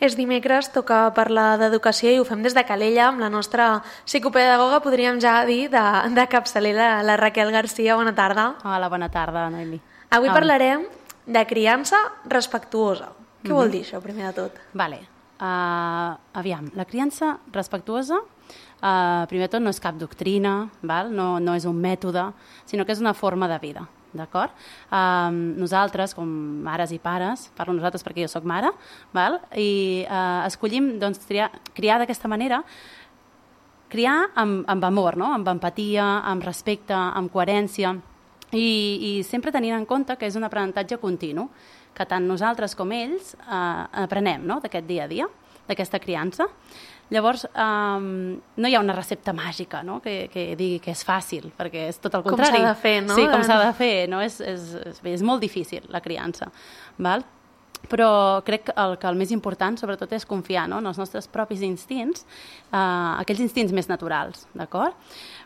És dimecres, toca parlar d'educació i ho fem des de Calella amb la nostra psicopedagoga, podríem ja dir, de capçalera, la Raquel Garcia. Bona tarda. Hola, bona tarda, Noemi. Avui parlarem de criança respectuosa. Què vol dir això, primer de tot? Vale. Aviam, la criança respectuosa, primer de tot, no és cap doctrina, val? No és un mètode, sinó que és una forma de vida. D'acord? Nosaltres, com mares i pares, parlo nosaltres perquè jo soc mare, val? I escollim doncs, criar d'aquesta manera, criar amb amor, no? Amb empatia, amb respecte, amb coherència, i sempre tenint en compte que és un aprenentatge continu, que tant nosaltres com ells aprenem, no? D'aquest dia a dia, d'aquesta criança. Llavors, no hi ha una recepta màgica, no? que digui que és fàcil, perquè és tot el contrari. Com s'ha de fer, no? Sí, com s'ha de fer. No? És molt difícil, la criança. Val? Però crec que el més important, sobretot, és confiar, no? En els nostres propis instints, aquells instints més naturals. D'acord?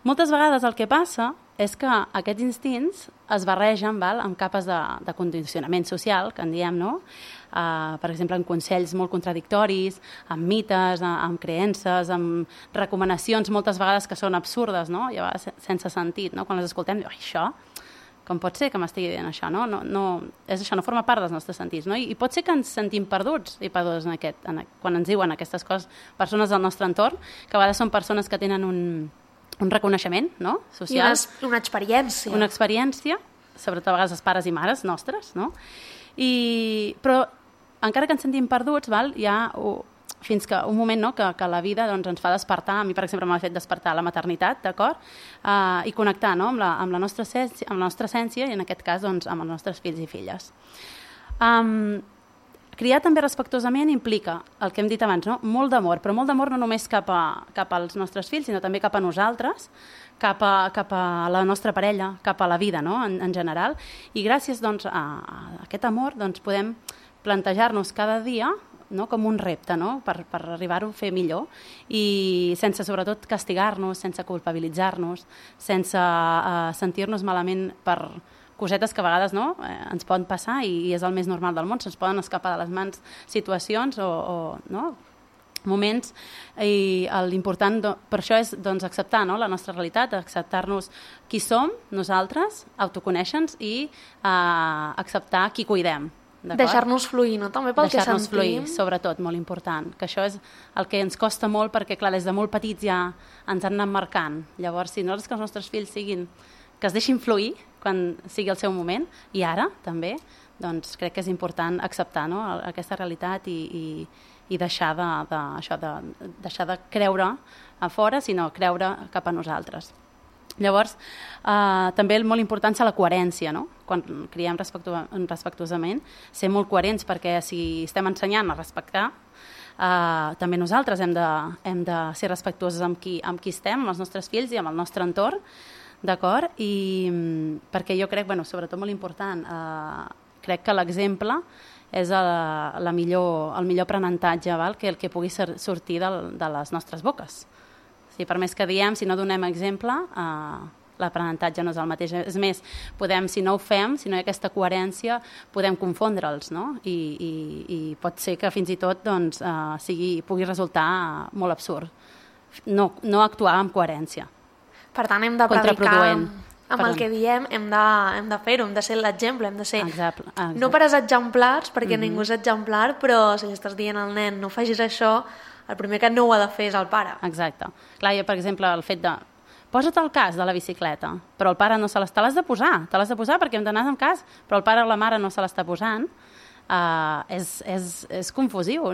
Moltes vegades el que passa és que aquests instints es barregen, val? Amb capes de condicionament social, que en diem, no? Per exemple, amb consells molt contradictoris, amb mites, amb creences, amb recomanacions moltes vegades que són absurdes, no? I a vegades sense sentit, no? Quan les escoltem, diu, això, com pot ser que m'estigui dient això, no? És això, no forma part dels nostres sentits, no? I pot ser que ens sentim perduts i perdós quan ens diuen aquestes coses persones del nostre entorn, que a vegades són persones que tenen un reconeixement, no? Social. I una experiència. Una experiència, sobretot a vegades els pares i mares nostres, no? Però encara que ens sentim perduts, val, hi ha fins que un moment, no, que la vida doncs, ens fa despertar. A mi, per exemple, m'ha fet despertar la maternitat, d'acord? I connectar, no, amb la nostra essència i, en aquest cas, doncs, amb els nostres fills i filles. Criar també respectuosament implica, el que hem dit abans, no? Molt d'amor, però molt d'amor no només cap als nostres fills, sinó també cap a nosaltres, cap a la nostra parella, cap a la vida, no? en general. I gràcies doncs, a aquest amor doncs, podem plantejar-nos cada dia, no? Com un repte, no? per arribar-ho a fer millor i sense sobretot castigar-nos, sense culpabilitzar-nos, sense sentir-nos malament per cosetes que a vegades no? Ens poden passar i és el més normal del món, se'ns poden escapar de les mans situacions o no? Moments, i l'important per això és doncs, acceptar, no? La nostra realitat, acceptar-nos qui som nosaltres, autoconèixer-nos i acceptar qui cuidem. Deixar-nos fluir, no? També pel que sentim. Deixar-nos fluir, sobretot, molt important, que això és el que ens costa molt perquè, clar, des de molt petits ja ens han anat marcant. Llavors, si nosaltres que els nostres fills que es deixin fluir quan sigui el seu moment, i ara també, doncs crec que és important acceptar, no? Aquesta realitat i deixar de creure a fora, sinó creure cap a nosaltres. Llavors, també molt important és la coherència, no? Quan criem respectuosament, ser molt coherents, perquè si estem ensenyant a respectar, també nosaltres hem de ser respectuosos amb qui estem, amb els nostres fills i amb el nostre entorn, d'acord? I perquè jo crec, sobretot molt important, crec que l'exemple és el millor aprenentatge, que el que pugui sortir de les nostres boques. Per més que diem, si no donem exemple, l'aprenentatge no és el mateix. És més, si no ho fem, si no hi ha aquesta coherència, podem confondre'ls, no? I pot ser que fins i tot doncs, pugui resultar molt absurd. No actuar amb coherència. Per tant, hem de predicar amb el que diem, hem de fer-ho, hem de ser l'exemple, hem de ser no pares exemplars, perquè ningú és exemplar, però si li estàs dient al nen no facis això, el primer que no ho ha de fer és el pare. Exacte. Clar, per exemple, el fet de posa't al cas de la bicicleta, però el pare no se l'està, te l'has de posar perquè hem d'anar amb cas, però el pare o la mare no se l'està posant, és confusiu,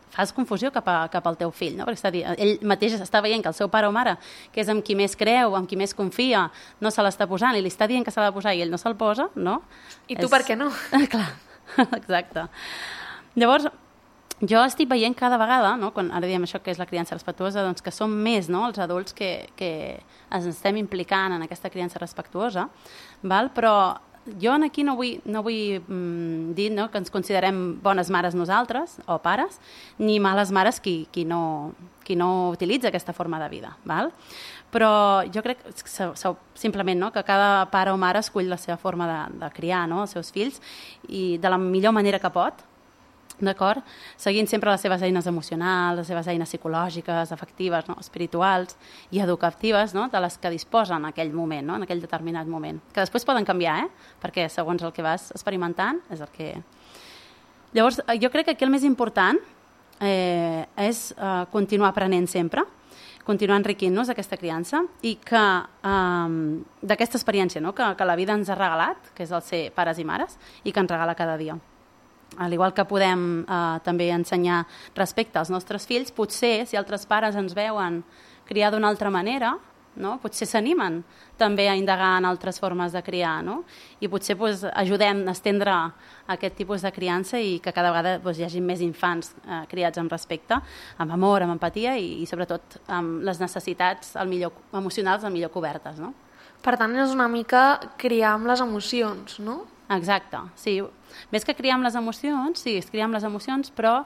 fas confusió cap al teu fill, no? Perquè ell mateix està veient que el seu pare o mare, que és amb qui més creu, amb qui més confia, no se l'està posant i li està dient que s'ha de posar i ell no se'l posa, no? I tu per què no? Clar, exacte. Llavors, jo estic veient cada vegada, no? Quan ara diem això que és la criança respectuosa, doncs que som més, no? Els adults que ens estem implicant en aquesta criança respectuosa, val? Però jo aquí no vull dir, no? Que ens considerem bones mares nosaltres, o pares, ni males mares qui no utilitza aquesta forma de vida, val? Però jo crec simplement, no? Que cada pare o mare escull la seva forma de criar, no? Els seus fills i de la millor manera que pot, d'acord? Seguint sempre les seves eines emocionals, les seves eines psicològiques, afectives, no? Espirituals i educatives, no? De les que disposen en aquell moment, no? En aquell determinat moment. Que després poden canviar, perquè segons el que vas experimentant és el que... Llavors, jo crec que aquí el més important és continuar aprenent sempre, continuar enriquint-nos d'aquesta criança i que d'aquesta experiència, no? que la vida ens ha regalat, que és el ser pares i mares, i que ens regala cada dia. Al igual que podem també ensenyar respecte als nostres fills, potser si altres pares ens veuen criar d'una altra manera, no? Potser s'animen també a indagar en altres formes de criar, no? I potser ajudem a estendre aquest tipus de criança i que cada vegada hi hagi més infants criats amb respecte, amb amor, amb empatia i sobretot amb les necessitats emocionals el millor cobertes, no? Per tant, és una mica criar amb les emocions, no? Exacte, sí. Més que criar amb les emocions, sí, és criar amb les emocions, però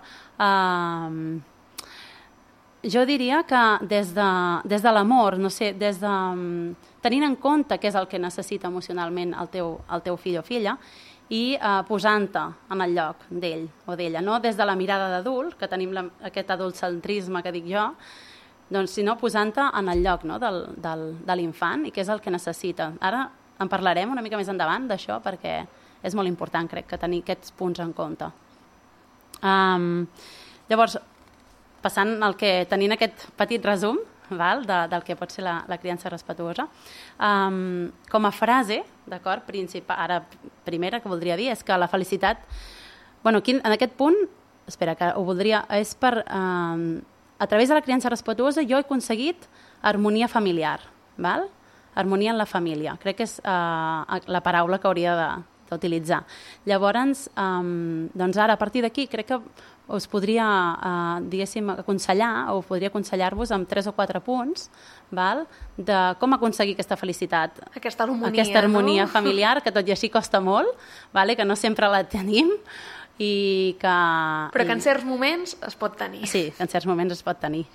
jo diria que des de l'amor, no sé, tenint en compte què és el que necessita emocionalment el teu fill o filla i posant-te en el lloc d'ell o d'ella, no des de la mirada d'adult, que tenim aquest adultcentrisme que dic jo, doncs, sinó posant-te en el lloc, no, de l'infant i què és el que necessita. Ara en parlarem una mica més endavant d'això perquè és molt important, crec, que tenir aquests punts en compte. Llavors, tenint aquest petit resum del que pot ser la criança respetuosa, com a frase, d'acord, principal, ara primera que voldria dir és que la felicitat, aquí en aquest punt, espera, que ho voldria, és per, a través de la criança respetuosa jo he aconseguit harmonia familiar, val? Harmonia en la família. Crec que és la paraula que hauria d'utilitzar. Llavors, doncs ara, a partir d'aquí, crec que us podria, diguéssim, aconsellar, o podria aconsellar-vos amb 3 o 4 punts, val? De com aconseguir aquesta felicitat. Aquesta harmonia, familiar, que tot i així costa molt, vale? Que no sempre la tenim, però que en certs moments es pot tenir. Sí, en certs moments es pot tenir.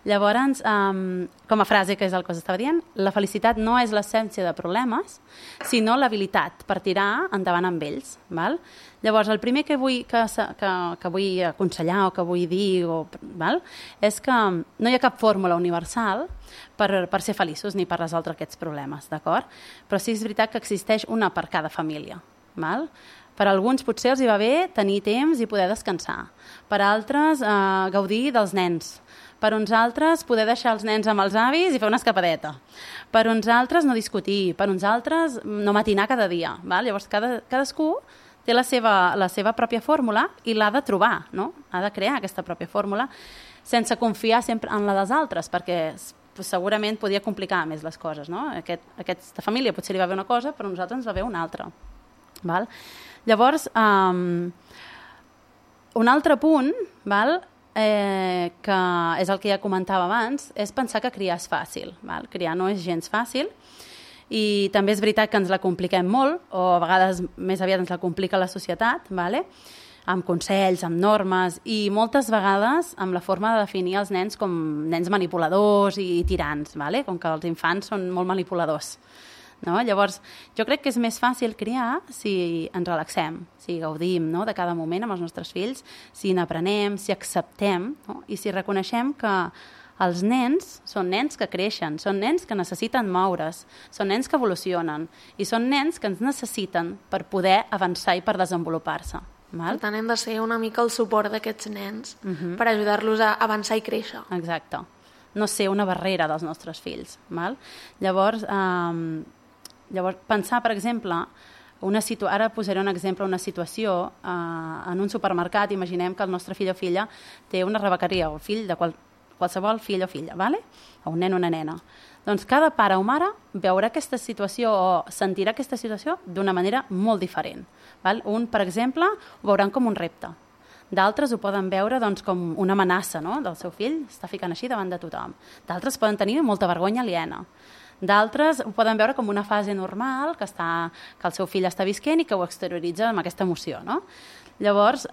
Llavors, com a frase, que és el que us estava dient, la felicitat no és l'essència de problemes, sinó l'habilitat per tirar endavant amb ells. Val? Llavors, el primer que vull aconsellar o que vull dir és que no hi ha cap fórmula universal per ser feliços ni per resoldre aquests problemes, d'acord? Però sí que és veritat que existeix una per cada família. Val? Per alguns potser els hi va bé tenir temps i poder descansar. Per altres, gaudir dels nens. Per uns altres, poder deixar els nens amb els avis i fer una escapadeta. Per uns altres, no discutir. Per uns altres, no matinar cada dia. Val? Llavors, cadascú té la seva pròpia fórmula i l'ha de trobar, no? Ha de crear aquesta pròpia fórmula sense confiar sempre en la dels altres, perquè segurament podia complicar més les coses, no? Aquesta família potser li va bé una cosa, però a nosaltres ens va bé una altra. Val? Llavors, un altre punt, que és el que ja comentava abans, és pensar que criar és fàcil. Val? Criar no és gens fàcil i també és veritat que ens la compliquem molt, o a vegades més aviat ens la complica la societat, amb consells, amb normes, i moltes vegades amb la forma de definir els nens com nens manipuladors i tirans, com que els infants són molt manipuladors. No? Llavors, jo crec que és més fàcil criar si ens relaxem, si gaudim, no? De cada moment amb els nostres fills, si n'aprenem, si acceptem, no? I si reconeixem que els nens són nens que creixen, són nens que necessiten moure's, són nens que evolucionen i són nens que ens necessiten per poder avançar i per desenvolupar-se. Per tant, hem de ser una mica el suport d'aquests nens per ajudar-los a avançar i créixer. Exacte. No ser una barrera dels nostres fills. Val? Llavors, pensar, per exemple, ara posaré un exemple, una situació en un supermercat. Imaginem que el nostre fill o filla té una rebequeria, o fill de qualsevol fill o filla, o un nen o una nena. Doncs cada pare o mare veurà aquesta situació o sentirà aquesta situació d'una manera molt diferent. Un, per exemple, ho veuran com un repte. D'altres ho poden veure com una amenaça, no? Del seu fill, està ficant així davant de tothom. D'altres poden tenir molta vergonya aliena. D'altres ho poden veure com una fase normal que el seu fill està visquent i que ho exterioritza amb aquesta emoció. No? Llavors,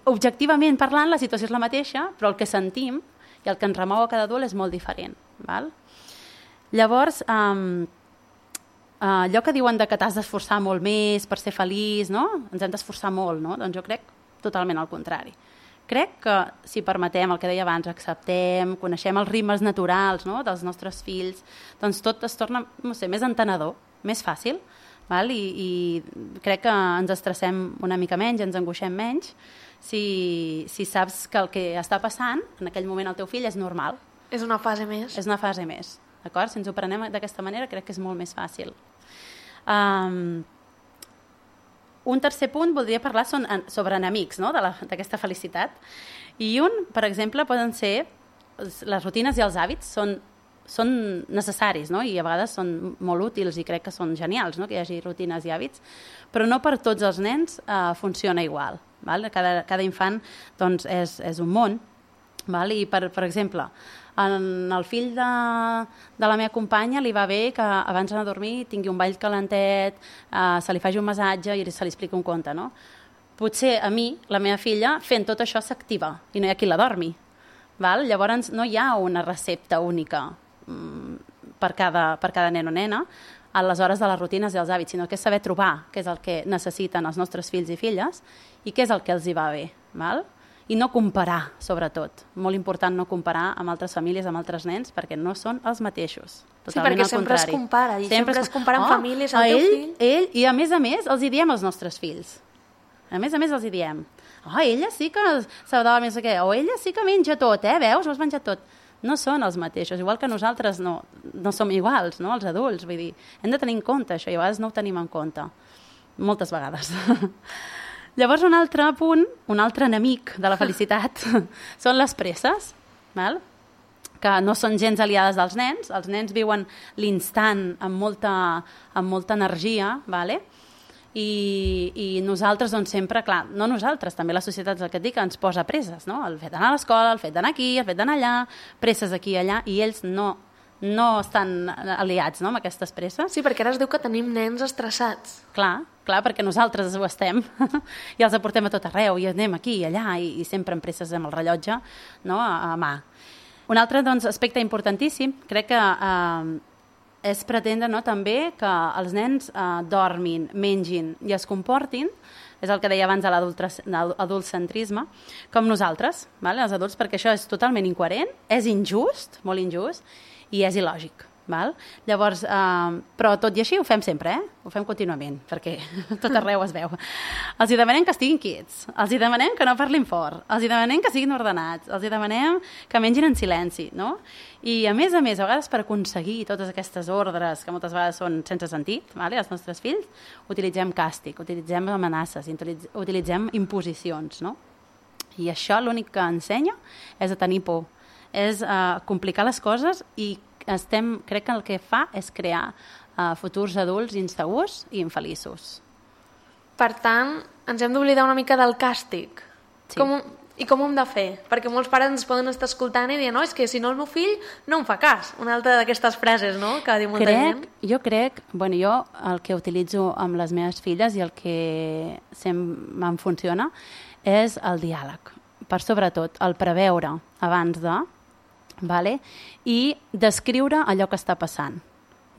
objectivament parlant, la situació és la mateixa, però el que sentim i el que ens remou a cada adult és molt diferent. Val? Llavors, allò que diuen que t'has d'esforçar molt més per ser feliç, no? Ens hem d'esforçar molt, no? Doncs jo crec totalment al contrari. Crec que si permetem, el que deia abans, acceptem, coneixem els ritmes naturals, no?, dels nostres fills, doncs tot es torna, no sé, més entenedor, més fàcil, val? I crec que ens estressem una mica menys, ens angoixem menys, si saps que el que està passant en aquell moment al teu fill és normal. És una fase més. És una fase més, d'acord? Si ens ho prenem d'aquesta manera crec que és molt més fàcil. Un tercer punt voldria parlar sobre enemics, no?, d'aquesta felicitat. I un, per exemple, poden ser les rutines i els hàbits són necessaris, no?, i a vegades són molt útils i crec que són genials, no?, que hi hagi rutines i hàbits, però no per tots els nens funciona igual. Val? Cada infant doncs, és un món. Val? I, per exemple, el fill de la meva companya li va bé que abans d'anar a dormir tingui un ball calentet, se li faci un massatge i se li expliqui un conte, no? Potser a mi, la meva filla, fent tot això s'activa i no hi ha qui la dormi. Val? Llavors no hi ha una recepta única per cada nen o nena a les hores de les rutines i els hàbits, sinó que és saber trobar què és el que necessiten els nostres fills i filles i què és el que els hi va bé. Val? I no comparar, sobretot. Molt important no comparar amb altres famílies, amb altres nens, perquè no són els mateixos. Sí, perquè sempre es compara, i sempre es compara amb famílies, el teu fill. I a més els hi diem als nostres fills. A més els hi diem. Ella sí que s'ha de més que... O ella sí que menja tot, veus? Ho has menjat tot. No són els mateixos, igual que nosaltres no som iguals, no?, els adults. Vull dir, hem de tenir en compte això, i a vegades no ho tenim en compte. Moltes vegades. Llavors, un altre punt, un altre enemic de la felicitat, són les presses, val? Que no són gens aliades dels nens. Els nens viuen l'instant amb molta energia, vale? I nosaltres, doncs, sempre, clar, no nosaltres, també la societat, el que et dic, ens posa presses, no? El fet d'anar a l'escola, el fet d'anar aquí, el fet d'anar allà, presses aquí i allà, i ells no estan aliats, no?, amb aquestes presses. Sí, perquè ara es diu que tenim nens estressats. Clar, perquè nosaltres ho estem i els aportem a tot arreu i anem aquí i allà i sempre amb presses amb el rellotge, no?, a mà. Un altre, doncs, aspecte importantíssim, crec que és pretendre, no?, també que els nens dormin, mengin i es comportin, és el que deia abans de l'adultcentrisme, com nosaltres, vale? Els adults, perquè això és totalment incoherent, és injust, molt injust, i és il·lògic. Val? Llavors, però tot i així ho fem sempre, ho fem contínuament, perquè tot arreu es veu. Els hi demanem que estiguin quiets, els hi demanem que no parlin fort, els hi demanem que siguin ordenats, els hi demanem que mengin en silenci, no? I a més, a vegades per aconseguir totes aquestes ordres, que moltes vegades són sense sentit, vale? Els nostres fills, utilitzem càstig, utilitzem amenaces, utilitzem imposicions, no? I això l'únic que ensenya és a tenir por, és complicar les coses i crec que el que fa és crear futurs adults insegurs i infeliços. Per tant, ens hem d'oblidar una mica del càstig. Sí. Com ho hem de fer? Perquè molts pares ens poden estar escoltant i dir, no, és que si no el meu fill no em fa cas. Una altra d'aquestes frases, no?, que diu molta gent. Jo el que utilitzo amb les meves filles i el que sempre em funciona és el diàleg. Per sobretot, el preveure abans de... Vale? I descriure allò que està passant.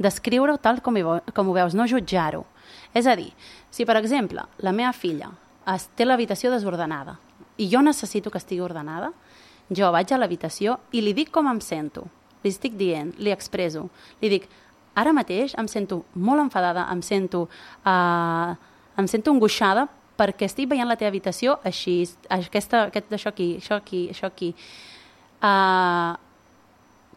Descriure-ho tal com ho veus, no jutjar-ho. És a dir, si per exemple la meva filla té l'habitació desordenada i jo necessito que estigui ordenada, jo vaig a l'habitació i li dic com em sento. Li estic dient, li expresso. Li dic, ara mateix em sento molt enfadada, em sento angoixada perquè estic veient la teva habitació així, això aquí.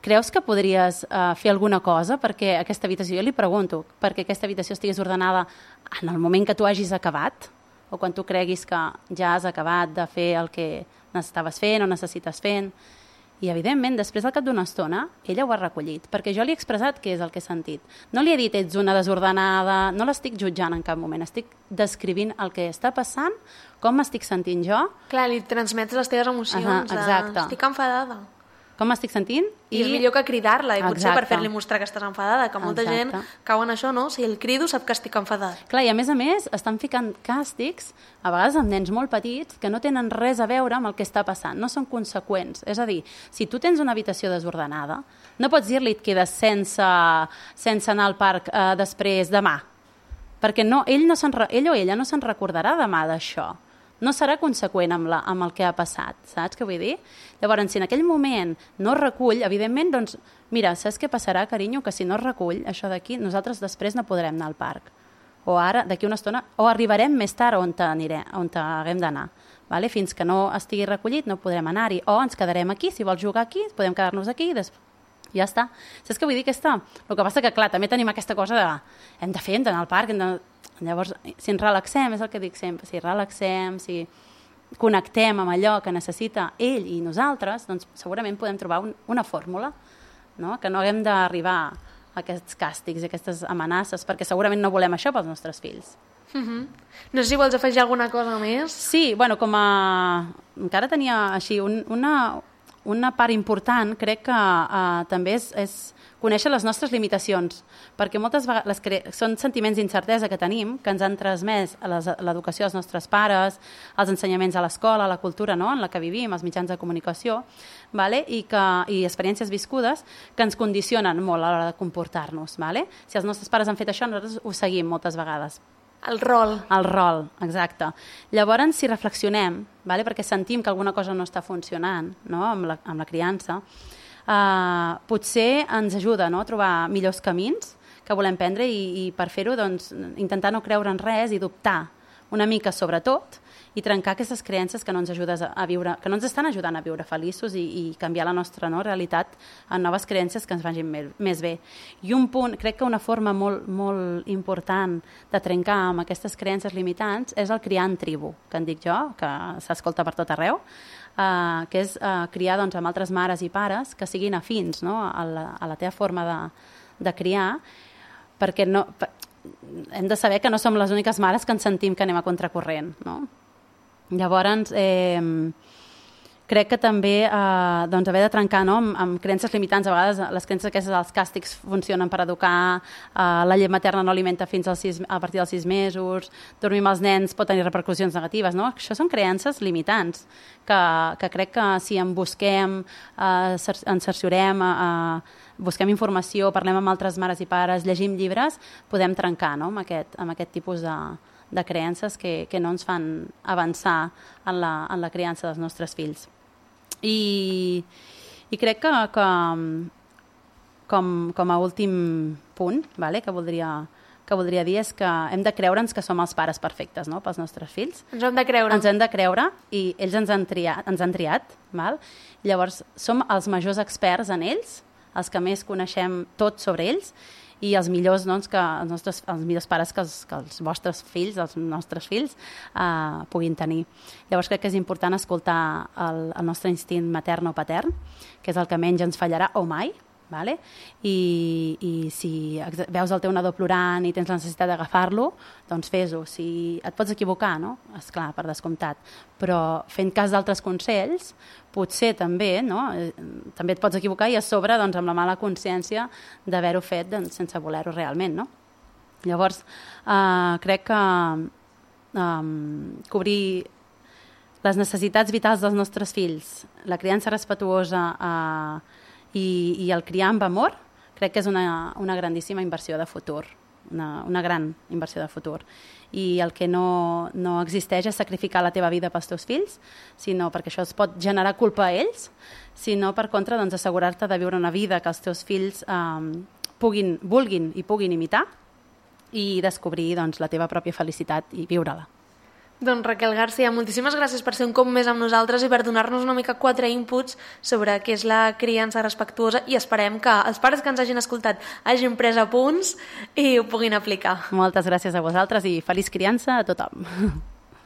Creus que podries fer alguna cosa perquè aquesta habitació, jo li pregunto, perquè aquesta habitació estigués ordenada en el moment que tu hagis acabat o quan tu creguis que ja has acabat de fer el que estaves fent o necessites fent? I, evidentment, després al cap d'una estona, ella ho ha recollit, perquè jo li he expressat què és el que he sentit. No li he dit, ets una desordenada, no l'estic jutjant en cap moment, estic descrivint el que està passant, com m'estic sentint jo. Clar, li transmets les teves emocions, exacte. Estic enfadada. com m'estic sentint. I és millor que cridar-la, i potser per fer-li mostrar que estàs enfadada, que molta gent cau en això, no? Si el crido sap que estic enfadat. Clar, i a més, estan ficant càstigs, a vegades amb nens molt petits, que no tenen res a veure amb el que està passant, no són conseqüents. És a dir, si tu tens una habitació desordenada, no pots dir-li et quedes sense anar al parc després demà, perquè ell o ella no se'n recordarà demà d'això. No serà conseqüent amb el que ha passat, saps què vull dir? Llavors, si en aquell moment no es recull, evidentment, doncs, mira, saps què passarà, carinyo? Que si no es recull això d'aquí, nosaltres després no podrem anar al parc. O ara, d'aquí una estona, o arribarem més tard on haguem d'anar. Vale? Fins que no estigui recollit no podrem anar-hi. O ens quedarem aquí, si vols jugar aquí, podem quedar-nos aquí i després ja està. Saps què vull dir? El que passa que, clar, també tenim aquesta cosa de hem d'anar al parc, llavors, si ens relaxem, és el que dic sempre, si relaxem, si connectem amb allò que necessita ell i nosaltres, doncs segurament podem trobar una fórmula, no? Que no haguem d'arribar a aquests càstigs i aquestes amenaces, perquè segurament no volem això pels nostres fills. No sé si vols afegir alguna cosa més. Sí, bueno, encara tenia així una part important, crec que també és conèixer les nostres limitacions, perquè moltes vegades són sentiments d'incertesa que tenim, que ens han transmès l'educació dels nostres pares, els ensenyaments a l'escola, la cultura, no?, en la que vivim, els mitjans de comunicació, vale? I experiències viscudes que ens condicionen molt a l'hora de comportar-nos. Vale? Si els nostres pares han fet això, nosaltres ho seguim moltes vegades. El rol, exacte. Llavors, si reflexionem, vale? Perquè sentim que alguna cosa no està funcionant, no?, amb la criança, potser ens ajuda, no?, a trobar millors camins que volem prendre i per fer-ho, doncs, intentar no creure en res i dubtar una mica sobre tot i trencar aquestes creences que no ens estan ajudant a viure feliços i canviar la nostra realitat en noves creences que ens vagin més bé. I un punt, crec que una forma molt, molt important de trencar amb aquestes creences limitants és el criar en tribu, que en dic jo, que s'escolta per tot arreu, que és criar doncs, amb altres mares i pares que siguin afins, no?, a la teva forma de criar, perquè hem de saber que no som les úniques mares que ens sentim que anem a contracorrent, no? Llavors, crec que també doncs, haver de trencar, no?, amb creences limitants. A vegades les creences aquestes dels càstigs funcionen per educar, la llet materna no alimenta fins a partir dels 6 mesos, dormir amb els nens pot tenir repercussions negatives, no? Això són creences limitants que crec que si en busquem, ens cerciorem, busquem informació, parlem amb altres mares i pares, llegim llibres, podem trencar, no?, amb aquest tipus de creences que no ens fan avançar en la criança dels nostres fills. I crec que com a últim punt, vale, que voldria dir és que hem de creure'ns que som els pares perfectes, no?, pels nostres fills. Ens hem de creure. Ens hem de creure i ells ens han triat. Val? Llavors, som els majors experts en ells, els que més coneixem tot sobre ells, i els millors, doncs, els millors pares que els vostres fills, els nostres fills, puguin tenir. Llavors crec que és important escoltar el nostre instint matern o patern, que és el que menys ens fallarà o mai, vale? I si veus el teu nadó plorant i tens la necessitat d'agafar-lo, doncs fes-ho. Si et pots equivocar, no? Esclar, per descomptat, però fent cas d'altres consells, potser també, no?, també et pots equivocar i a sobre, doncs, amb la mala consciència d'haver-ho fet, doncs, sense voler-ho realment, no? Llavors, crec que cobrir les necessitats vitals dels nostres fills, la criança respetuosa i el criar amb amor, crec que és una grandíssima inversió de futur, una gran inversió de futur. I el que no existeix és sacrificar la teva vida pels teus fills, sinó perquè això es pot generar culpa a ells, sinó per contra, doncs, assegurar-te de viure una vida que els teus fills vulguin i puguin imitar i descobrir, doncs, la teva pròpia felicitat i viure-la. Doncs Raquel García, moltíssimes gràcies per ser un cop més amb nosaltres i per donar-nos una mica 4 inputs sobre què és la criança respectuosa, i esperem que els pares que ens hagin escoltat hagin pres apunts i ho puguin aplicar. Moltes gràcies a vosaltres i feliç criança a tothom.